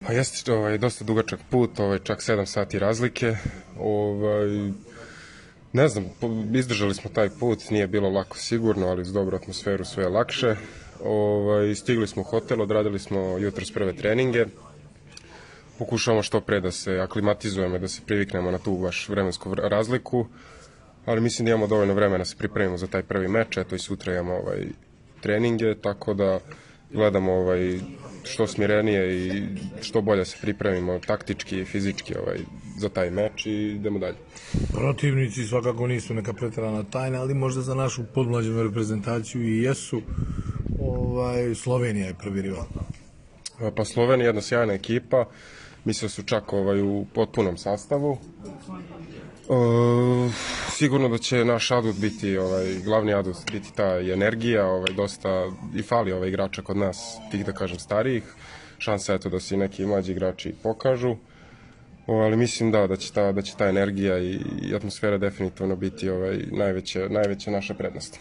Pa jeste dosta dugačak put, čak 7 sati razlike. Ne znam, izdržali smo taj put, nije bilo lako sigurno, ali uz dobru atmosferu sve je lakše. Stigli smo u hotel, odradili smo jutros prve treninge. Pokušavamo što pre da se aklimatizujemo, da se priviknemo na tu baš vremensku razliku, ali mislim da imamo dovoljno vremena da se pripremimo za taj prvi meč, eto i sutra imamo treninge, tako da gledamo što smirenije i što bolje se pripremimo taktički i fizički za taj meč i idemo dalje. Protivnici svakako nisu neka preterana tajna, ali možda za našu podmlađenu reprezentaciju i jesu. Slovenija je prvi rival. Pa Slovenija je jedna sjajna ekipa, mislim da su čak u potpunom sastavu. Sigurno da će naš adut biti, glavni adut biti ta energija, dosta i fali igrača kod nas, tih da kažem starijih. Šansa je to da se i neki mlađi igrači pokažu, ali mislim da će ta energija i atmosfera definitivno biti najveća naša prednost.